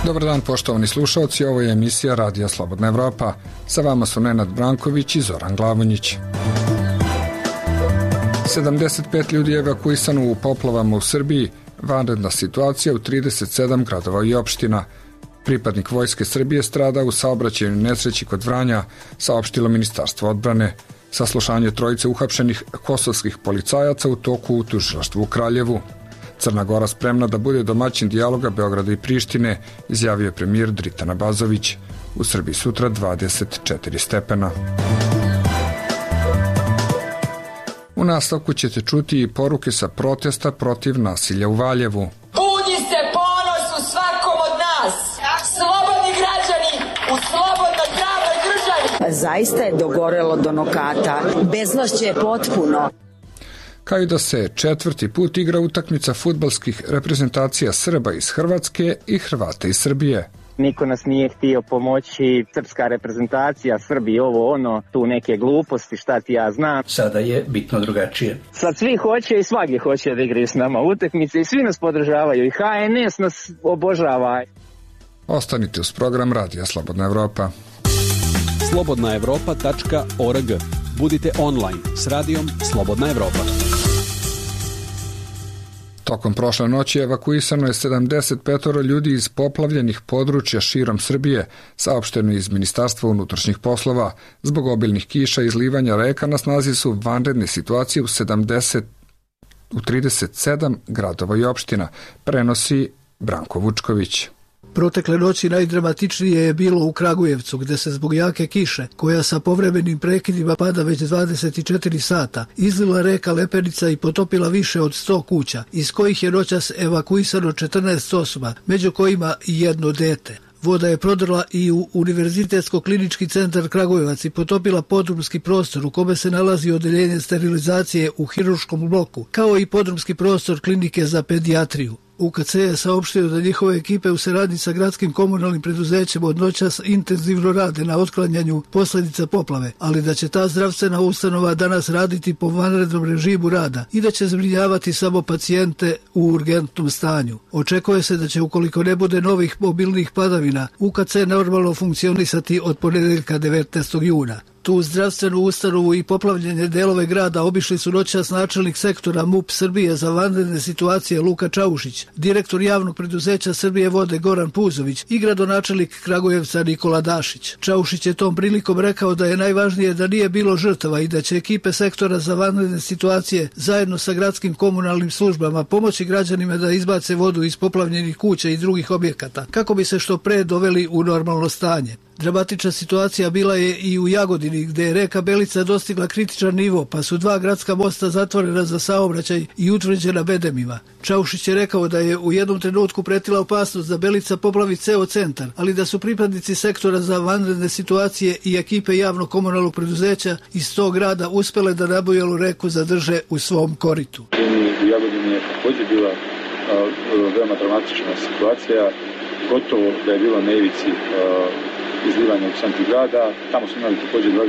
Dobar dan poštovani slušalci, ovo je emisija Radija Slobodna Evropa. Sa vama su Nenad Branković i Zoran Glavonjić. 75 ljudi je evakuisano u poplavama u Srbiji, vanredna situacija u 37 gradova i opština. Pripadnik Vojske Srbije strada u saobraćajnoj nesreći kod Vranja, saopštilo Ministarstvo odbrane. Saslušanje trojice uhapšenih kosovskih policajaca u toku u tužilaštvu u Kraljevu. Crna Gora spremna da bude domaćin dijaloga Beograda i Prištine, izjavio je premijer Dritan Abazović. U Srbiji sutra 24 stepena. U nastavku ćete čuti i poruke sa protesta protiv nasilja u Valjevu. Budi se ponos u svakom od nas, slobodni građani u slobodnoj pravnoj državi. Zaista je dogorelo do nokata, bezvlašće je potpuno. Kao i da se četvrti put igra utakmica fudbalskih reprezentacija Srba iz Hrvatske i Hrvata iz Srbije. Niko nas nije htio pomoći, srpska reprezentacija, Srbi, ovo ono, tu neke gluposti, šta ti ja znam. Sada je bitno drugačije. Sad svi hoće i svaki hoće da igraju s nama utakmice i svi nas podržavaju i HNS nas obožava. Ostanite uz program Radija Slobodna Evropa. slobodnaevropa.org. Budite online s radijom Slobodna Evropa. Tokom prošle noći evakuisano je 75 ljudi iz poplavljenih područja širom Srbije, saopšteno iz Ministarstva unutrašnjih poslova. Zbog obilnih kiša i izlivanja reka na snazi su vanredne situacije u 37 gradova i opština, prenosi Branko Vučković. Protekle noći najdramatičnije je bilo u Kragujevcu, gde se zbog jake kiše, koja sa povremenim prekidima pada već 24 sata, izlila reka Lepenica i potopila više od 100 kuća, iz kojih je noćas evakuisano 14 osoba, među kojima i jedno dete. Voda je prodrla i u Univerzitetsko-klinički centar Kragujevac i potopila podrumski prostor u kome se nalazi odeljenje sterilizacije u hirurškom bloku, kao i podrumski prostor klinike za pedijatriju. UKC je saopštio da njihove ekipe u saradnji sa gradskim komunalnim preduzećem od noćas intenzivno rade na otklanjanju posljedica poplave, ali da će ta zdravstvena ustanova danas raditi po vanrednom režimu rada i da će zbrinjavati samo pacijente u urgentnom stanju. Očekuje se da će, ukoliko ne bude novih mobilnih padavina, UKC normalno funkcionisati od ponedeljka 19. juna. Tu zdravstvenu ustanovu i poplavljene delove grada obišli su noćas načelnik sektora MUP Srbije za vanredne situacije Luka Čaušić, direktor javnog preduzeća Srbije vode Goran Puzović i gradonačelnik Kragujevca Nikola Dašić. Čaušić je tom prilikom rekao da je najvažnije da nije bilo žrtava i da će ekipe sektora za vanredne situacije zajedno sa gradskim komunalnim službama pomoći građanima da izbace vodu iz poplavljenih kuća i drugih objekata, kako bi se što pre doveli u normalno stanje. Dramatična situacija bila je i u Jagodini, gde je reka Belica dostigla kritičan nivo, pa su 2 gradska mosta zatvorena za saobraćaj i utvrđena bedemima. Čaušić je rekao da je u jednom trenutku pretila opasnost da Belica poplavi ceo centar, ali da su pripadnici sektora za vanredne situacije i ekipe javnog komunalnog preduzeća iz tog grada uspele da Nabojelu reku zadrže u svom koritu. U Jagodini je također bila veoma dramatična situacija, gotovo da je bila na ivici izlivanja u centru grada. Tamo smo imali također 21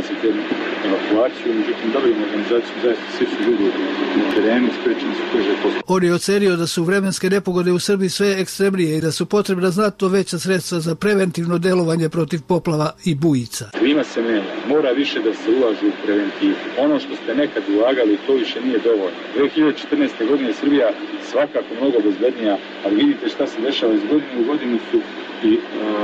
evakuaciju, međutim dobili organizaciju, zaista svi su ljudi na terenu, sprečeni su brže posle. On je ocenio da su vremenske nepogode u Srbiji sve ekstremnije i da su potrebna znatno veća sredstva za preventivno delovanje protiv poplava i bujica. Klima se menja, mora više da se ulažu u preventivu. Ono što ste nekad ulagali, to više nije dovoljno. 2014. godine Srbija svakako mnogo bezbednija, ali vidite šta se dešava iz godine u godinu su i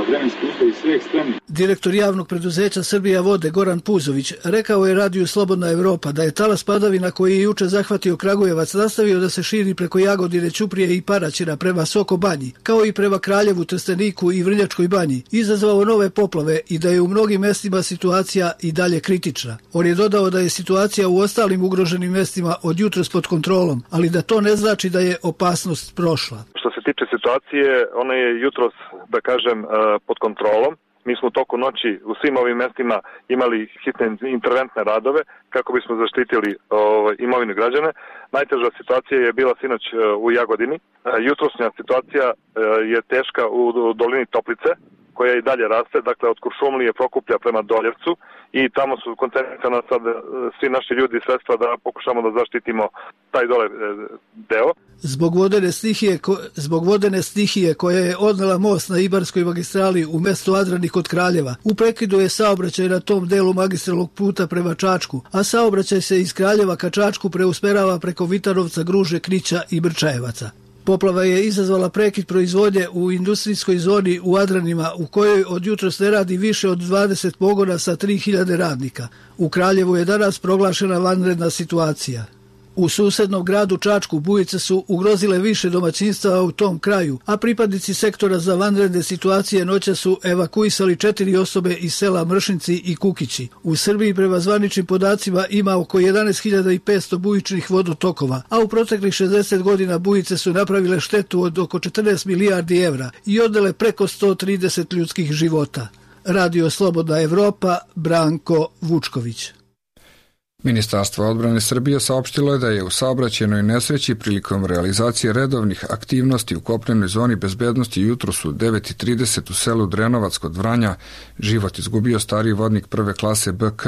vremenski uslovi sve ekstremni. Direktor javnog preduzeća Srbija vode Goran Puzović rekao je radiju Slobodna Evropa da je talas padavina koji je juče zahvatio Kragujevac nastavio da se širi preko Jagodine, Ćuprije i Paraćina prema Soko Banji, kao i prema Kraljevu, Trsteniku i Vrnjačkoj Banji, izazvao nove poplave i da je u mnogim mestima situacija i dalje kritična. On je dodao da je situacija u ostalim ugroženim mestima od jutros pod kontrolom, ali da to ne znači da je opasnost prošla. Što se tiče situacije, ona je jutros, da kažem, pod kontrolom. Mi smo u toku noći u svim ovim mestima imali hitne interventne radove kako bismo zaštitili imovinu građane. Najteža situacija je bila sinoć u Jagodini. Jutrosnja situacija je teška u dolini Toplice, koja i dalje raste, dakle od Kuršumlije, Prokuplja prema Doljevcu, i tamo su koncentrisana sad svi naši ljudi i sredstva da pokušamo da zaštitimo taj dole deo. Zbog vodene stihije koja je odnela most na Ibarskoj magistrali u mestu Adrani kod Kraljeva, u prekidu je saobraćaj na tom delu magistralnog puta prema Čačku, a saobraćaj se iz Kraljeva ka Čačku preusmerava preko Vitanovca, Gruže, Knića i Brčajevaca. Poplava je izazvala prekid proizvodnje u industrijskoj zoni u Adranima, u kojoj od jutros ne radi više od 20 pogona sa 3000 radnika. U Kraljevu je danas proglašena vanredna situacija. U susednom gradu Čačku bujice su ugrozile više domaćinstava u tom kraju, a pripadnici sektora za vanredne situacije noća su evakuisali 4 osobe iz sela Mršinci i Kukići. U Srbiji prema zvaničnim podacima ima oko 11.500 bujičnih vodotokova, a u proteklih 60 godina bujice su napravile štetu od oko 14 milijardi evra i odnele preko 130 ljudskih života. Radio Slobodna Evropa, Branko Vučković. Ministarstvo odbrane Srbije saopštilo je da je u saobraćajnoj nesreći prilikom realizacije redovnih aktivnosti u kopnenoj zoni bezbednosti jutros u 9:30 u selu Drenovac kod Vranja život izgubio stariji vodnik prve klase BK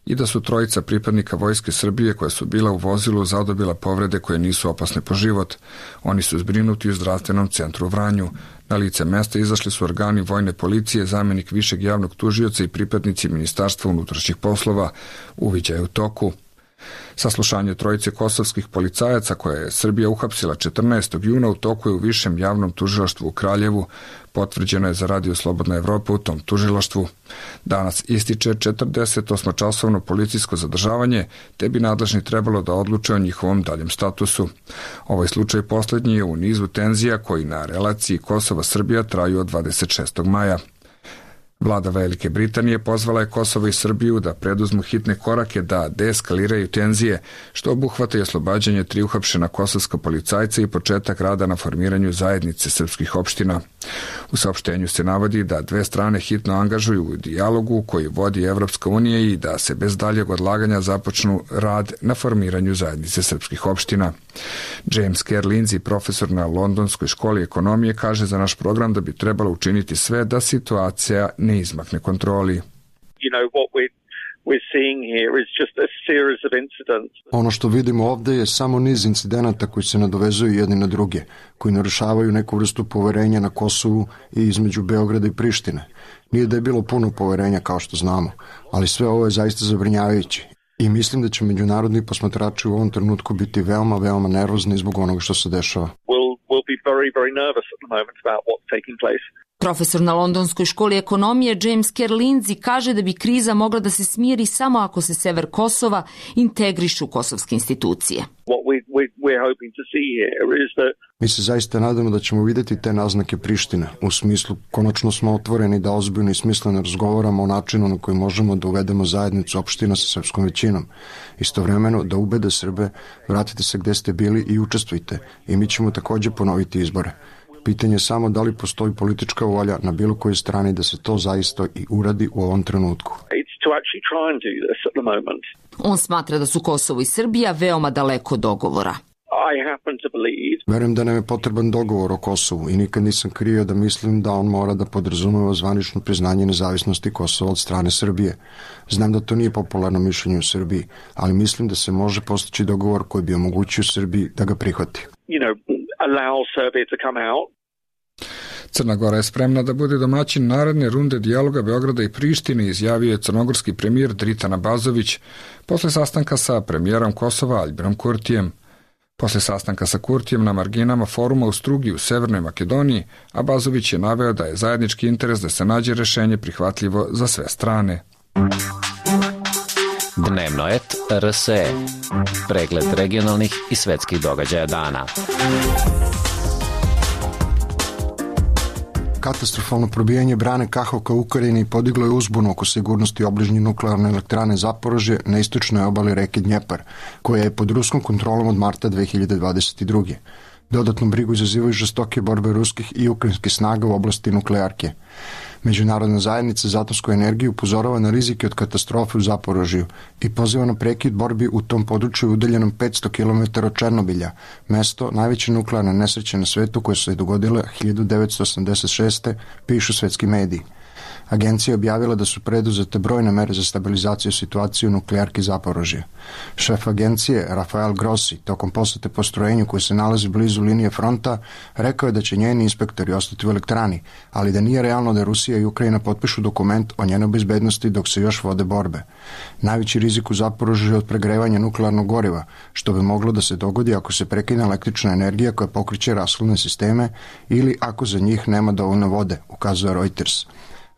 i da su trojica pripadnika Vojske Srbije koja su bila u vozilu zadobila povrede koje nisu opasne po život. Oni su zbrinuti u zdravstvenom centru u Vranju. Na lice mesta izašli su organi vojne policije, zamenik višeg javnog tužioca i pripadnici Ministarstva unutrašnjih poslova. Uviđaj je u toku. Saslušanje trojice kosovskih policajaca koje je Srbija uhapsila 14. juna u toku je u višem javnom tužilaštvu u Kraljevu. Potvrđeno je za Radio Slobodna Evropa u tom tužilaštvu. Danas ističe 48-časovno policijsko zadržavanje, te bi nadležni trebalo da odluče o njihovom daljem statusu. Ovaj slučaj poslednji je u nizu tenzija koji na relaciji Kosova-Srbija traju od 26. maja. Vlada Velike Britanije pozvala je Kosovo i Srbiju da preduzmu hitne korake da deeskaliraju tenzije, što obuhvata i oslobađanje 3 uhapšena kosovska policajca i početak rada na formiranju zajednice srpskih opština. U saopštenju se navodi da dve strane hitno angažuju u dijalogu koji vodi Evropska unija i da se bez daljeg odlaganja započnu rad na formiranju zajednice srpskih opština. James Kerr Lindsay, profesor na Londonskoj školi ekonomije, kaže za naš program da bi trebalo učiniti sve da situacija ne izmakne kontroli. Ono što vidimo ovde je samo niz incidenata koji se nadovezuju jedni na druge, koji narušavaju neku vrstu poverenja na Kosovu i između Beograda i Prištine. Nije da je bilo puno poverenja kao što znamo, ali sve ovo je zaista zabrinjavajuće. I mislim da će međunarodni posmatrači u ovom trenutku biti veoma, veoma nervozni zbog onoga što se dešava. Profesor na Londonskoj školi ekonomije James Kerr Lindsay kaže da bi kriza mogla da se smiri samo ako se sever Kosova integrišu u kosovske institucije. Mi se zaista nadamo da ćemo videti te naznake Prištine. U smislu, konačno smo otvoreni da ozbiljno i smisleno razgovaramo o načinu na koji možemo da uvedemo zajednicu opština sa srpskom većinom. Istovremeno da ubede Srbe, vratite se gde ste bili i učestvujte. I mi ćemo takođe ponoviti izbore. Pitanje je samo da li postoji politička volja na bilo kojoj strani da se to zaista i uradi u ovom trenutku. On smatra da su Kosovo i Srbija veoma daleko od dogovora. Verujem da nam je potreban dogovor o Kosovu i nikad nisam krio da mislim da on mora da podrazumeva zvanično priznanje nezavisnosti Kosova od strane Srbije. Znam da to nije popularno mišljenje u Srbiji, ali mislim da se može postići dogovor koji bi omogućio Srbiji da ga prihvati. Crna Gora je spremna da bude domaćin naredne runde dijaloga Beograda i Prištine, izjavio je crnogorski premijer Dritan Abazović posle sastanka sa premijerom Kosova Aljbinom Kurtijem. Posle sastanka sa Kurtijem na marginama foruma u Strugi u Severnoj Makedoniji, Abazović je naveo da je zajednički interes da se nađe rešenje prihvatljivo za sve strane. Dnevno et RSE. Pregled regionalnih i svetskih događaja dana. Katastrofalno probijanje brane Kahovka u Ukrajini podiglo je uzbunu oko sigurnosti obližnje nuklearne elektrane Zaporožje na istočnoj obali reke Dnjepar, koja je pod ruskom kontrolom od marta 2022. Dodatnu brigu izazivaju žestoke borbe ruskih i ukrajinskih snaga u oblasti nuklearke. Međunarodna zajednica za atomsku energiju upozorava na rizike od katastrofe u Zaporožju i poziva na prekid borbi u tom području udaljenom 500 km od Černobilja, mesto najveće nuklearne nesreće na svetu koje se je dogodile 1986. pišu svetski mediji. Agencija je objavila da su preduzete brojne mere za stabilizaciju situacije u nuklearki Zaporožje. Šef agencije, Rafael Grossi, tokom posete postrojenju koje se nalazi blizu linije fronta, rekao je da će njeni inspektori ostati u elektrani, ali da nije realno da Rusija i Ukrajina potpišu dokument o njenoj bezbednosti dok se još vode borbe. Najveći rizik u Zaporožju je od pregrevanja nuklearnog goriva, što bi moglo da se dogodi ako se prekine električna energija koja pokreće rashladne sisteme ili ako za njih nema dovoljno vode, ukazuje Reuters.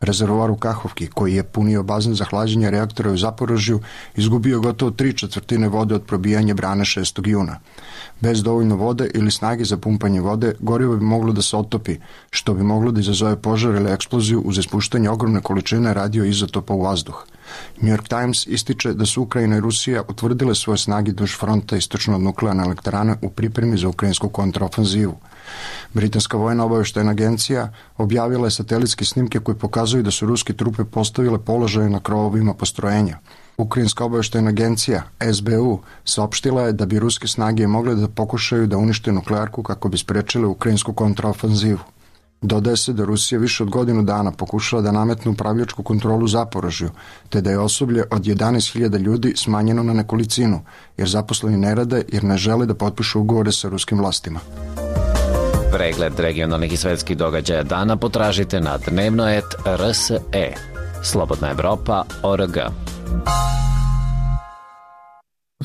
Rezervoar u Kahovki, koji je punio bazen za hlađenje reaktora u Zaporožju, izgubio gotovo 3/4 vode od probijanja brane 6. juna. Bez dovoljno vode ili snage za pumpanje vode, gorivo bi moglo da se otopi, što bi moglo da izazove požar ili eksploziju uz ispuštanje ogromne količine radioizotopa u vazduh. New York Times ističe da su Ukrajina i Rusija utvrdile svoje snage duž fronta istočno od nuklearne elektrane u pripremi za ukrajinsku kontraofanzivu. Britanska vojna obavještajna agencija objavila je satelitske snimke koji pokazuju da su ruske trupe postavile položaje na krovovima postrojenja. Ukrajinska obavještajna agencija SBU saopštila je da bi ruske snage mogle da pokušaju da unište nuklearku kako bi sprečile ukrajinsku kontraofanzivu. Dodaje se da Rusija više od godinu dana pokušala da nametne upravljačku kontrolu Zaporožju, te da je osoblje od 11.000 ljudi smanjeno na nekolicinu, jer zaposleni ne rade jer ne žele da potpišu ugovore sa ruskim vlastima. Pregled regionalnih i svetskih događaja dana potražite na dnevno.rs.e. Slobodna Evropa.org.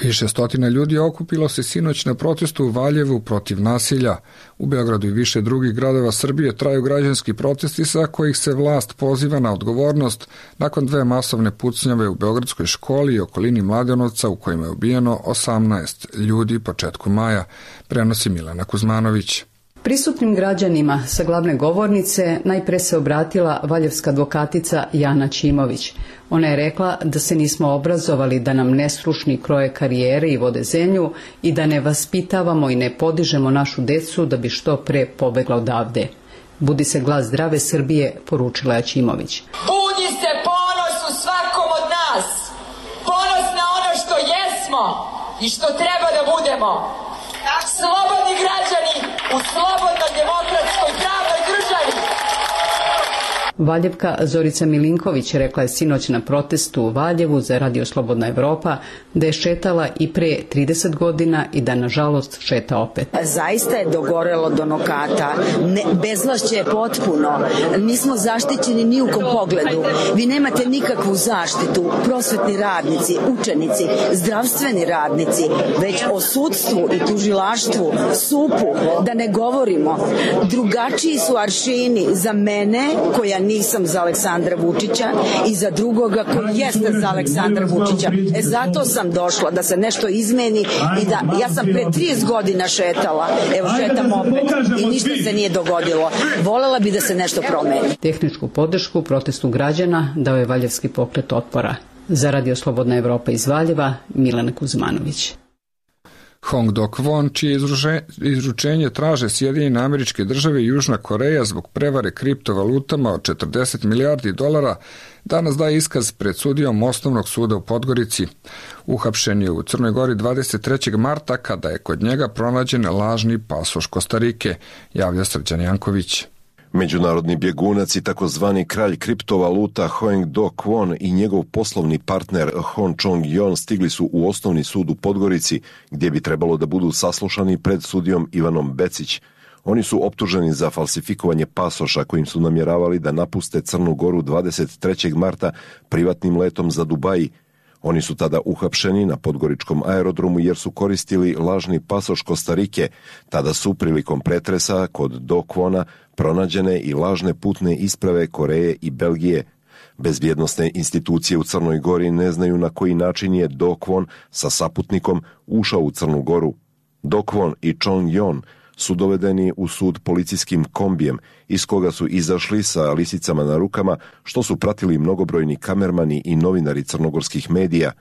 Više stotina ljudi okupilo se sinoć na protestu u Valjevu protiv nasilja. U Beogradu i više drugih gradova Srbije traju građanski protesti sa kojih se vlast poziva na odgovornost nakon 2 masovne pucnjave u Beogradskoj školi i okolini Mladenovca u kojima je ubijeno 18 ljudi početkom maja, prenosi Milena Kuzmanović. Prisutnim građanima sa glavne govornice najpre se obratila valjevska advokatica Jana Ćimović. Ona je rekla da se nismo obrazovali da nam nestručni kroje karijere i vode zemlju i da ne vaspitavamo i ne podižemo našu decu da bi što pre pobegla odavde. Budi se glas zdrave Srbije, poručila je Ćimović. Budi se ponos u svakom od nas. Ponos na ono što jesmo i što treba da budemo. Slobodni građani u slobodnoj demokratskoj pravnoj državi. Valjevka Zorica Milinković rekla je sinoć na protestu u Valjevu za Radio Slobodna Evropa da je šetala i pre 30 godina i da nažalost šeta opet. Zaista je dogorelo do nokata. Bezvlašće je potpuno. Nismo zaštićeni ni u kom pogledu. Vi nemate nikakvu zaštitu. Prosvetni radnici, učenici, zdravstveni radnici, već o sudstvu i tužilaštvu, SUP-u, da ne govorimo. Drugačiji su aršini za mene, koja nisam za Aleksandra Vučića, i za drugoga koji jeste za Aleksandra Vučića. Zato sam došla da se nešto izmeni i da ja sam pre 30 godina šetala, evo šetam opet i ništa se nije dogodilo. Volela bi da se nešto promeni. Tehničku podršku protestu građana dao je Valjevski pokret otpora. Za Radio Slobodna Evropa iz Valjeva, Milena Kuzmanović. Hong Dok-won, čije izručenje traže Sjedinjene Američke Države i Južna Koreja zbog prevare kriptovalutama od 40 milijardi dolara, danas daje iskaz pred sudijom Osnovnog suda u Podgorici. Uhapšen je u Crnoj Gori 23. marta kada je kod njega pronađen lažni pasoš Kostarike, javlja Srđan Janković. Međunarodni bjegunac i takozvani kralj kriptovaluta Hong Dok-won i njegov poslovni partner Hon Chong-yon stigli su u Osnovni sud u Podgorici, gdje bi trebalo da budu saslušani pred sudijom Ivanom Becić. Oni su optuženi za falsifikovanje pasoša kojim su namjeravali da napuste Crnu Goru 23. marta privatnim letom za Dubaji. Oni su tada uhapšeni na podgoričkom aerodromu jer su koristili lažni pasoš Kostarike. Tada su prilikom pretresa kod Dok-wona pronađene i lažne putne isprave Koreje i Belgije. Bezbjednosne institucije u Crnoj Gori ne znaju na koji način je Dok-won sa saputnikom ušao u Crnu Goru. Dok-won i Chong-yon su dovedeni u sud policijskim kombijem, iz koga su izašli sa lisicama na rukama, što su pratili mnogobrojni kamermani i novinari crnogorskih medija.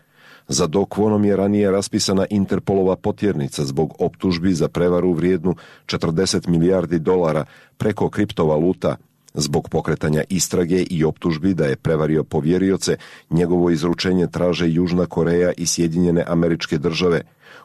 Za Dok-wonom je ranije raspisana Interpolova potjernica zbog optužbi za prevaru vrijednu 40 milijardi dolara preko kriptovaluta. Zbog pokretanja istrage i optužbi da je prevario povjerioce, njegovo izručenje traže Južna Koreja i Sjedinjene Američke Države.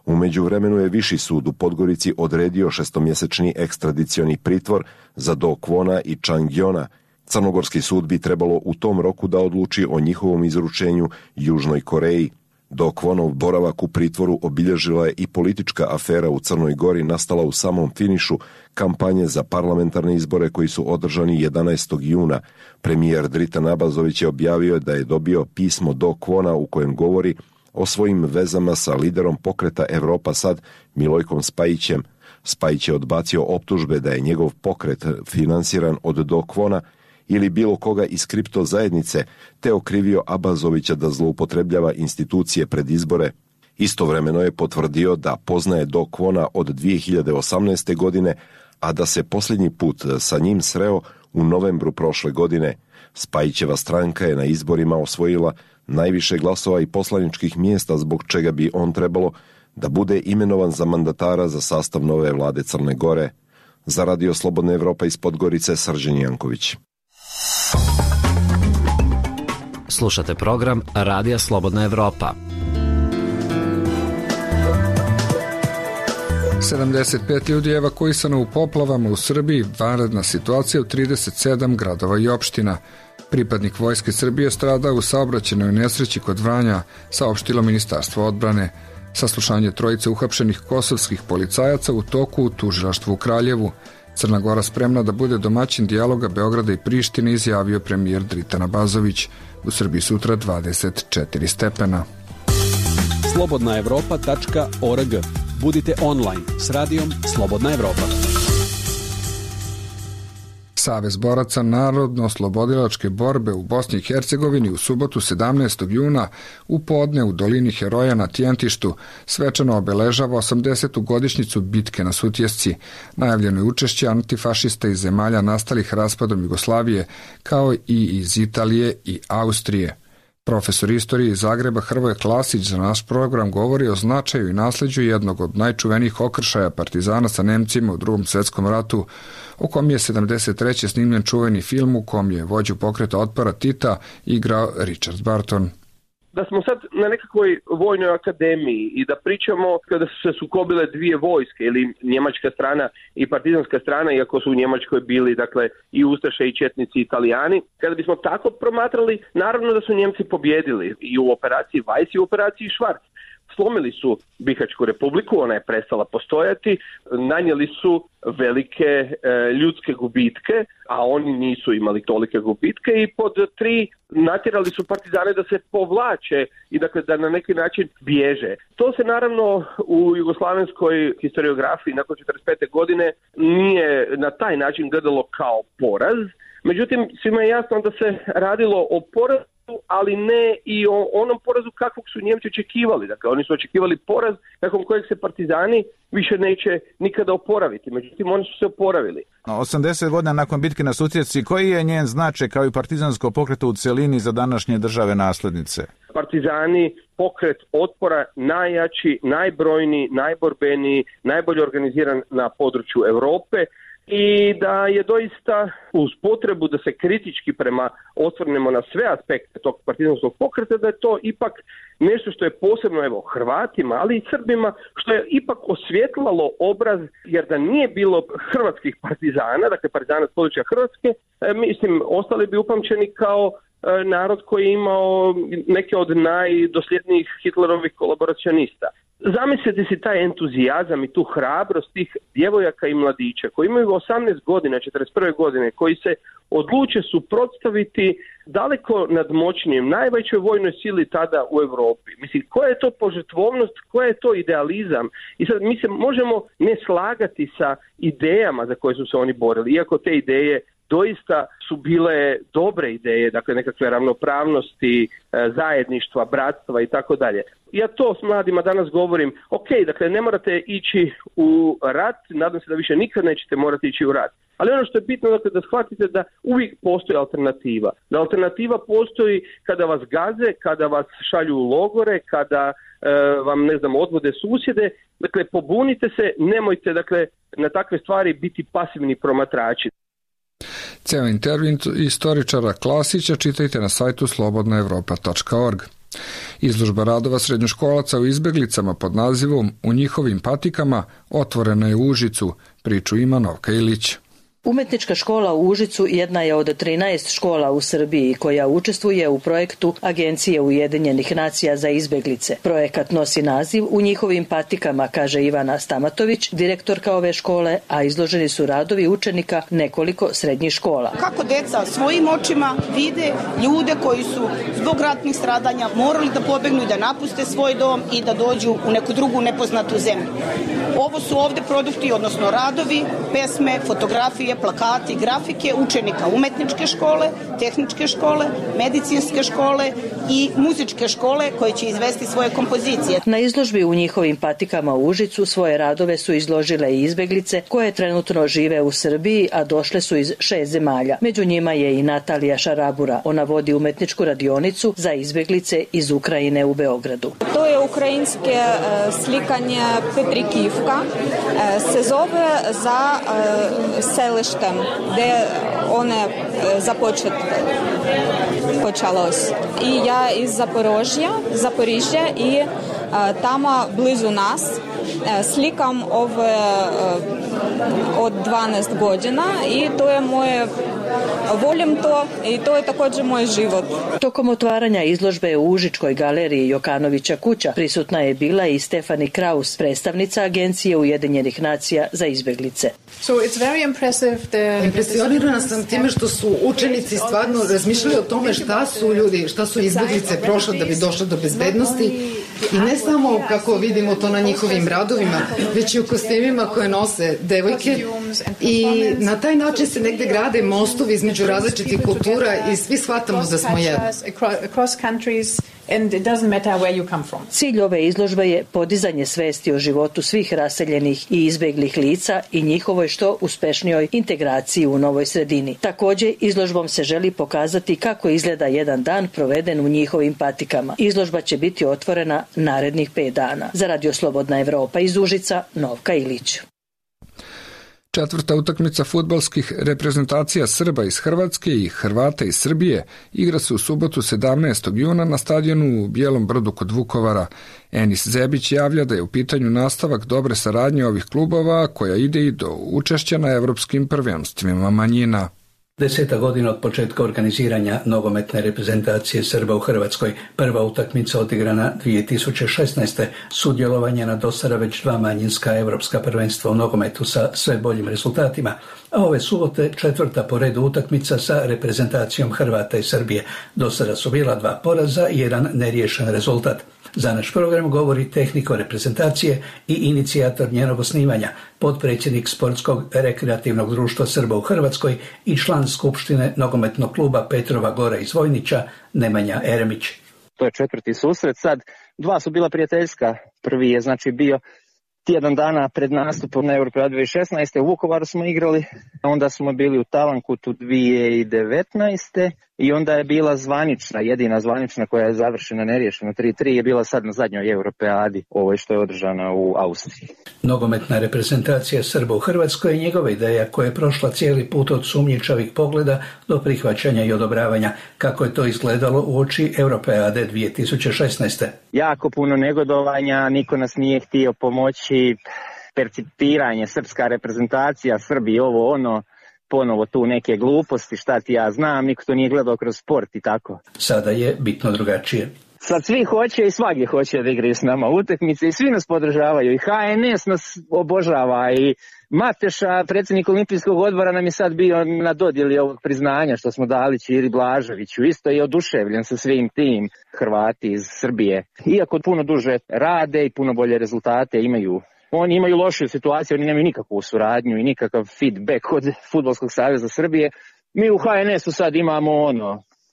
U međuvremenu je Viši sud u Podgorici odredio 6-mjesečni ekstradicioni pritvor za Dok-wona i Chang-yona. Crnogorski sud bi trebalo u tom roku da odluči o njihovom izručenju Južnoj Koreji. Do Kwonov boravak u pritvoru obilježila je i politička afera u Crnoj Gori nastala u samom finišu kampanje za parlamentarne izbore koji su održani 11. juna. Premijer Dritan Abazović je objavio da je dobio pismo do Kwona u kojem govori o svojim vezama sa liderom pokreta Evropa Sad Milojkom Spajićem. Spajić je odbacio optužbe da je njegov pokret finansiran od do Kwona ili bilo koga iz kripto zajednice, te okrivio Abazovića da zloupotrebljava institucije pred izbore. Istovremeno je potvrdio da poznaje do Kwona od 2018. godine, a da se posljednji put sa njim sreo u novembru prošle godine. Spajićeva stranka je na izborima osvojila najviše glasova i poslaničkih mjesta, zbog čega bi on trebalo da bude imenovan za mandatara za sastav nove vlade Crne Gore. Za Radio Slobodna Evropa iz Podgorice, Srđan Janković. Slušate program Radija Slobodna Evropa. 75 ljudi je evakuisano u poplavama u Srbiji, vanredna situacija u 37 gradova i opština. Pripadnik Vojske Srbije strada u saobraćajnoj nesreći kod Vranja, saopštilo Ministarstvo odbrane. Saslušanje trojice uhapšenih kosovskih policajaca u toku u tužilaštvu u Kraljevu. Crna Gora spremna da bude domaćin dijaloga Beograda i Prištine, izjavio premijer Dritan Abazović. U Srbiji sutra 24 stepena. slobodnaevropa.org. Budite online s radijom Slobodna Evropa. Savez boraca narodno-oslobodilačke borbe u Bosni i Hercegovini u subotu 17. juna u podne u dolini Heroja na Tjentištu svečano obeležava 80. godišnjicu bitke na Sutjesci. Najavljeno je učešće antifašista iz zemalja nastalih raspadom Jugoslavije, kao i iz Italije i Austrije. Profesor istorije iz Zagreba Hrvoje Klasić za naš program govori o značaju i nasleđu jednog od najčuvenijih okršaja partizana sa Nemcima u Drugom svjetskom ratu, o kom je 73. snimljen čuveni film u kom je vođu pokreta otpora Tita igrao Richard Barton. Da smo sad na nekakvoj vojnoj akademiji i da pričamo kada su se sukobile dvije vojske, ili njemačka strana i partizanska strana, iako su u Njemačkoj bili dakle i ustaše i četnici Italijani, kada bismo tako promatrali, naravno da su Njemci pobjedili i u operaciji Weiss i u operaciji Schwarz. Slomili su Bihaćku republiku, ona je prestala postojati, nanijeli su velike ljudske gubitke, a oni nisu imali tolike gubitke, i pod 3 natjerali su partizane da se povlače i dakle da na neki način bježe. To se naravno u jugoslavenskoj historiografiji nakon 45. godine nije na taj način gledalo kao poraz, međutim svima je jasno da se radilo o porazu, ali ne i o onom porazu kakvog su Njemci očekivali. Dakle, oni su očekivali poraz nakon kojeg se partizani više neće nikada oporaviti. Međutim, oni su se oporavili. 80 godina nakon bitke na Sutjesci, koji je njen značaj kao i partizansko pokreto u celini za današnje države naslednice? Partizani, pokret otpora, najjači, najbrojniji, najborbeniji, najbolje organiziran na području Europe, i da je doista uz potrebu da se kritički osvrnemo na sve aspekte tog partizanskog pokreta, da je to ipak nešto što je posebno Hrvatima, ali i Srbima, što je ipak osvjetlalo obraz, jer da nije bilo hrvatskih partizana, dakle partizana s područja Hrvatske, mislim, ostali bi upamćeni kao narod koji je imao neke od najdosljednijih Hitlerovih kolaboracionista. Zamislite si taj entuzijazam i tu hrabrost tih djevojaka i mladića koji imaju 18 godina, 41. godine, koji se odluče suprotstaviti daleko nadmoćnijem, najvećoj vojnoj sili tada u Europi. Mislim, koja je to požrtvovnost, koja je to idealizam? I sad mi se možemo ne slagati sa idejama za koje su se oni borili, iako te ideje doista su bile dobre ideje, dakle nekakve ravnopravnosti, zajedništva, bratstva i tako dalje. Ja to s mladima danas govorim, ok, dakle ne morate ići u rat, nadam se da više nikad nećete morati ići u rat. Ali ono što je bitno, dakle, da shvatite da uvijek postoji alternativa. Da alternativa postoji kada vas gaze, kada vas šalju u logore, kada vam, odvode susjede. Dakle, pobunite se, nemojte, dakle, na takve stvari biti pasivni promatrači. Ceo intervju istoričara Klasića čitajte na sajtu slobodnaevropa.org. Izložba radova srednjoškolaca u izbeglicama pod nazivom U njihovim patikama otvorena je u Užicu. Priču ima Novka Ilić. Umetnička škola u Užicu jedna je od 13 škola u Srbiji koja učestvuje u projektu Agencije Ujedinjenih nacija za izbeglice. Projekat nosi naziv U njihovim patikama, kaže Ivana Stamatović, direktorka ove škole, a izloženi su radovi učenika nekoliko srednjih škola. Kako deca svojim očima vide ljude koji su zbog ratnih stradanja morali da pobegnu i da napuste svoj dom i da dođu u neku drugu nepoznatu zemlju. Ovo su ovde produkti, odnosno radovi, pesme, fotografije, plakati, grafike učenika umetničke škole, tehničke škole, medicinske škole i muzičke škole koje će izvesti svoje kompozicije. Na izložbi U njihovim patikama u Užicu svoje radove su izložile i izbeglice koje trenutno žive u Srbiji, a došle su iz 6 zemalja. Među njima je i Natalija Šarabura. Ona vodi umetničku radionicu za izbeglice iz Ukrajine u Beogradu. To je ukrajinske slikanje Petrikivka. Se zove za selištem, gde one počalось. I ja iz Zaporižja i tamo blizu nas slikam ove od 12 godina i to je moje, volim to i to je također moj život. Tokom otvaranja izložbe u Užičkoj galeriji Jokanovića kuća prisutna je bila i Stefani Kraus, predstavnica Agencije Ujedinjenih nacija za izbeglice. Impresionirana sam time što su učenici stvarno razmišljali o tome šta su izbeglice prošle da bi došle do bezbednosti i ne samo kako vidimo to na njihovim radovima, već i u kostimima koje nose devojke i na taj način se negde grade mostovi između različitih kultura i svi shvatamo da smo jedno. Cilj ove izložbe je podizanje svesti o životu svih raseljenih i izbeglih lica i njihovoj što uspešnijoj integraciji u novoj sredini. Također, izložbom se želi pokazati kako izgleda jedan dan proveden u njihovim patikama. Izložba će biti otvorena narednih 5 dana. Za Radio Slobodna Evropa iz Užica, Novka Ilić. Četvrta utakmica fudbalskih reprezentacija Srba iz Hrvatske i Hrvata iz Srbije igra se u subotu 17. juna na stadionu u Bijelom Brdu kod Vukovara. Enis Zebić javlja da je u pitanju nastavak dobre saradnje ovih klubova koja ide i do učešća na evropskim prvenstvima manjina. 10 godina od početka organiziranja nogometne reprezentacije Srba u Hrvatskoj, prva utakmica odigrana 2016. Sudjelovanje na dosada već 2 manjinska evropska prvenstva u nogometu sa sve boljim rezultatima, a ove subote 4. po redu utakmica sa reprezentacijom Hrvata i Srbije. Dosada su bila 2 poraza i 1 neriješen rezultat. Za naš program govori tehničar reprezentacije i inicijator njenog osnivanja, potpredsjednik Sportskog rekreativnog društva Srba u Hrvatskoj i član Skupštine nogometnog kluba Petrova Gora iz Vojnića, Nemanja Eremić. To je 4. susret, sad 2 su bila prijateljska. Prvi je bio tjedan dana pred nastupom na Europeadu 2016. U Vukovaru smo igrali, onda smo bili u Talankutu 2019. I onda je bila jedina zvanična koja je završena neriješeno 3-3 je bila sad na zadnjoj Europeadi, ovoj što je održana u Austriji. Nogometna reprezentacija Srba u Hrvatskoj je njegova ideja koja je prošla cijeli put od sumnjičavih pogleda do prihvaćanja i odobravanja. Kako je to izgledalo uoči Europeade 2016. Jako puno negodovanja, niko nas nije htio pomoći, percipiranje, srpska reprezentacija, Srbi, ovo ono, ponovo tu neke gluposti, šta ti ja znam, niko to nije gledao kroz sport i tako. Sada je bitno drugačije. Sad svi hoće i svagdje hoće da igraju s nama utakmice i svi nas podržavaju i HNS nas obožava i Mateša, predsjednik Olimpijskog odbora, nam je sad bio na dodjeli ovog priznanja što smo dali Ćiri Blaževiću. Isto je oduševljen sa svim tim, Hrvati iz Srbije. Iako puno duže rade i puno bolje rezultate imaju. Oni imaju lošiju situaciju, oni nemaju nikakvu suradnju i nikakav feedback od Fudbalskog saveza Srbije. Mi u HNS-u sad imamo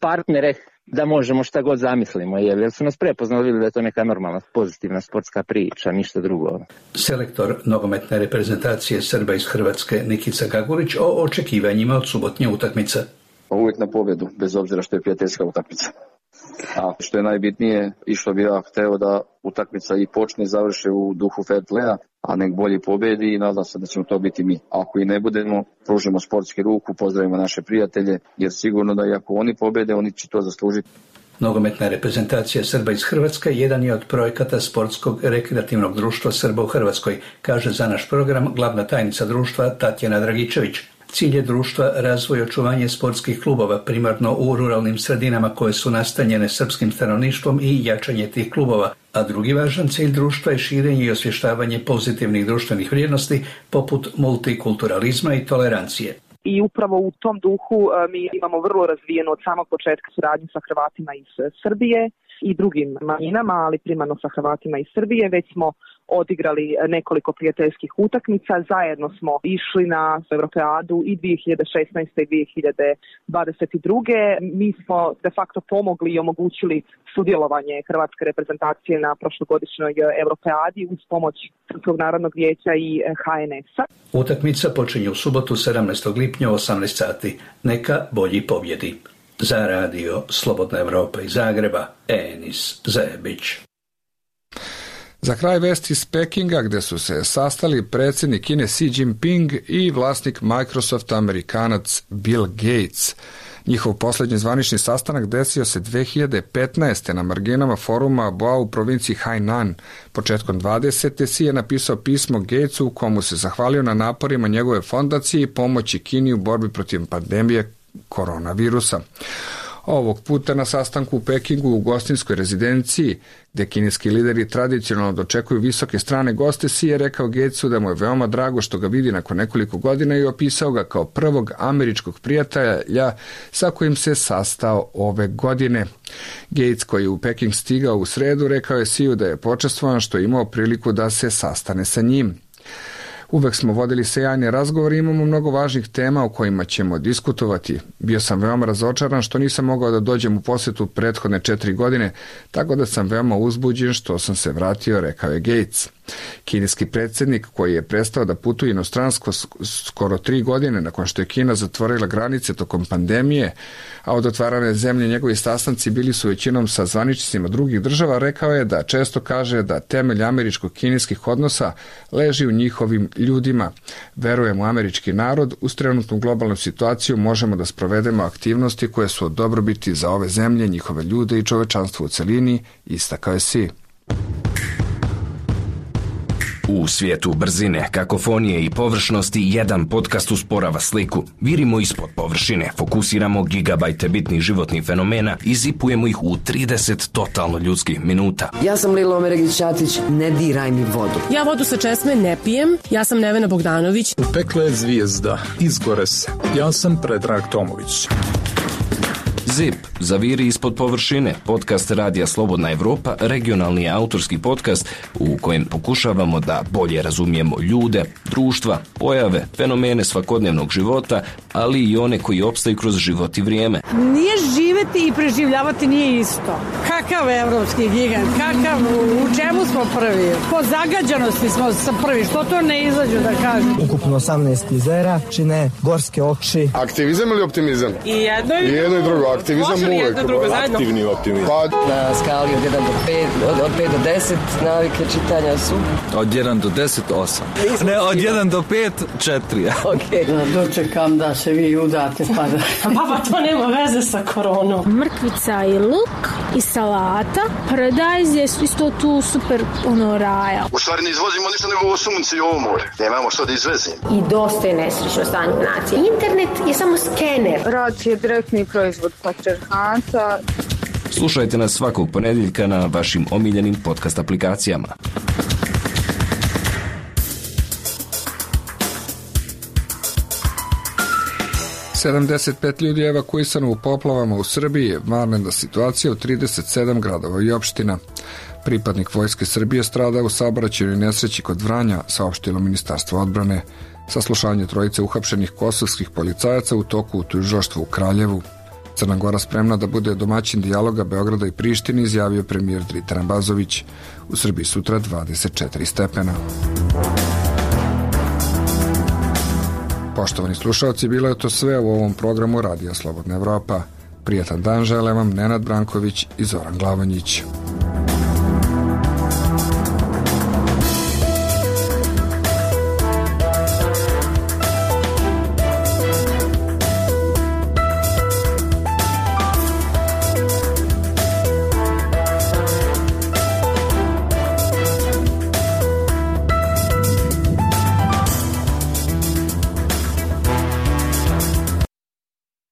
partnere da možemo šta god zamislimo, jer su nas prepoznali, vidjeli da je to neka normalna, pozitivna sportska priča, ništa drugo. Selektor nogometne reprezentacije Srba iz Hrvatske Nikica Gagurić o očekivanjima od subotnje utakmice. Uvijek na pobjedu, bez obzira što je prijateljska utakmica. A što je najbitnije i što bi ja hteo da utakmica i počne i završe u duhu fair playa, a nek bolji pobedi i nadam se da ćemo to biti mi. Ako i ne budemo, pružimo sportski ruku, pozdravimo naše prijatelje, jer sigurno da i ako oni pobede, oni će to zaslužiti. Nogometna reprezentacija Srba iz Hrvatske jedan je od projekata Sportskog rekreativnog društva Srba u Hrvatskoj, kaže za naš program glavna tajnica društva Tatjana Dragičević. Cilj je društva razvoj i očuvanje sportskih klubova, primarno u ruralnim sredinama koje su nastanjene srpskim stanovništvom i jačanje tih klubova, a drugi važan cilj društva je širenje i osvještavanje pozitivnih društvenih vrijednosti poput multikulturalizma i tolerancije. I upravo u tom duhu mi imamo vrlo razvijenu od samog početka suradnju sa Hrvatima iz Srbije i drugim manjinama, ali primarno sa Hrvatima iz Srbije. Već smo odigrali nekoliko prijateljskih utakmica, zajedno smo išli na Europeadu i 2016. i 2022. Mi smo de facto pomogli i omogućili sudjelovanje hrvatske reprezentacije na prošlogodišnjoj Europeadi uz pomoć Srpskog narodnog vijeća i HNS-a. Utakmica počinje u subotu 17. lipnja u 18 sati. Neka bolji pobjedi. Za radio Slobodna Evropa iz Zagreba, Enis Zebić. Za kraj vesti iz Pekinga, gde su se sastali predsjednik Kine Xi Jinping i vlasnik Microsofta Amerikanac Bill Gates. Njihov posljednji zvanični sastanak desio se 2015. na marginama foruma Boao u provinciji Hainan. Početkom 20. Xi je napisao pismo Gatesu u komu se zahvalio na naporima njegove fondacije i pomoći Kini u borbi protiv pandemije koronavirusa. Ovog puta na sastanku u Pekingu u gostinskoj rezidenciji, gde kineski lideri tradicionalno dočekuju visoke strane goste, Xi je rekao Gatesu da mu je veoma drago što ga vidi nakon nekoliko godina i opisao ga kao prvog američkog prijatelja sa kojim se sastao ove godine. Gates, koji je u Peking stigao u sredu, rekao je Xiu da je počastvovan što je imao priliku da se sastane sa njim. Uvek smo vodili sjajne razgovore i imamo mnogo važnih tema o kojima ćemo diskutovati. Bio sam veoma razočaran što nisam mogao da dođem u posjetu prethodne 4 godine, tako da sam veoma uzbuđen što sam se vratio, rekao je Gates. Kineski predsjednik, koji je prestao da putuje inostransko skoro 3 godine nakon što je Kina zatvorila granice tokom pandemije, a od otvarane zemlje njegovi sastanci bili su većinom sa zvaničnicima drugih država, rekao je da često kaže da temelj američko-kineskih odnosa leži u njihovim ljudima. Verujem u američki narod, uz trenutnu globalnu situaciju možemo da sprovedemo aktivnosti koje su od dobrobiti za ove zemlje, njihove ljude i čovečanstvo u celini, istakao je Xi. U svijetu brzine, kakofonije i površnosti jedan podcast usporava sliku. Virimo ispod površine, fokusiramo gigabajte bitnih životnih fenomena i zipujemo ih u 30 totalno ljudskih minuta. Ja sam Lila Omeregić-Ćatić, ne diraj mi vodu. Ja vodu sa česme ne pijem, ja sam Nevena Bogdanović. U pekle je zvijezda, izgore se. Ja sam Predrag Tomović. ZIP, zaviri ispod površine, podcast Radija Slobodna Evropa, regionalni autorski podcast u kojem pokušavamo da bolje razumijemo ljude, društva, pojave, fenomene svakodnevnog života, ali i one koji opstaju kroz život i vrijeme. Nije živeti i preživljavati nije isto. Kakav evropski gigant, u čemu smo prvi? Po zagađanosti smo prvi, što to ne izađu da kažu? Ukupno 18 jezera, čine gorske oči. Aktivizam ili optimizam? I jedno i drugo. Aktivizam uvek. Aktivni optimizam. Na skali od 1 do 5, od 5 do 10 navike čitanja su? Od 1 do 10, 8. Ne, od 1 do 5, 4. Ok. Dočekam da se vi udate pa da... Baba, to nema veze sa koronom. Mrkvica i luk i salata. Paradajz je isto tu super raja. U stvari ne izvozimo ništa nego ovo sunce i ovo more. Nemamo što da izvezimo. I dosta je nesrećno stanje nacije. Internet je samo skener. Rad je direktni proizvod patrijarhata. Slušajte nas svakog ponedjeljka na vašim omiljenim podcast aplikacijama. Sedamdeset ljudi je evakuisano u poplavama u Srbiji, vanredna situacija u 37 gradova i opština. Pripadnik Vojske Srbije strada u saobraćajnoj nesreći kod Vranja, saopštilo Ministarstvo odbrane. Saslušanje trojice uhapšenih kosovskih policajaca u toku u tužilaštvu u Kraljevu. Crna Gora spremna da bude domaćin dijaloga Beograda i Prištine, izjavio premijer Dritan Bazović. U Srbiji sutra 24 stepena. Poštovani slušalci, bilo je to sve u ovom programu Radija Slobodna Evropa. Prijatan dan žele vam Nenad Branković i Zoran Glavanjić.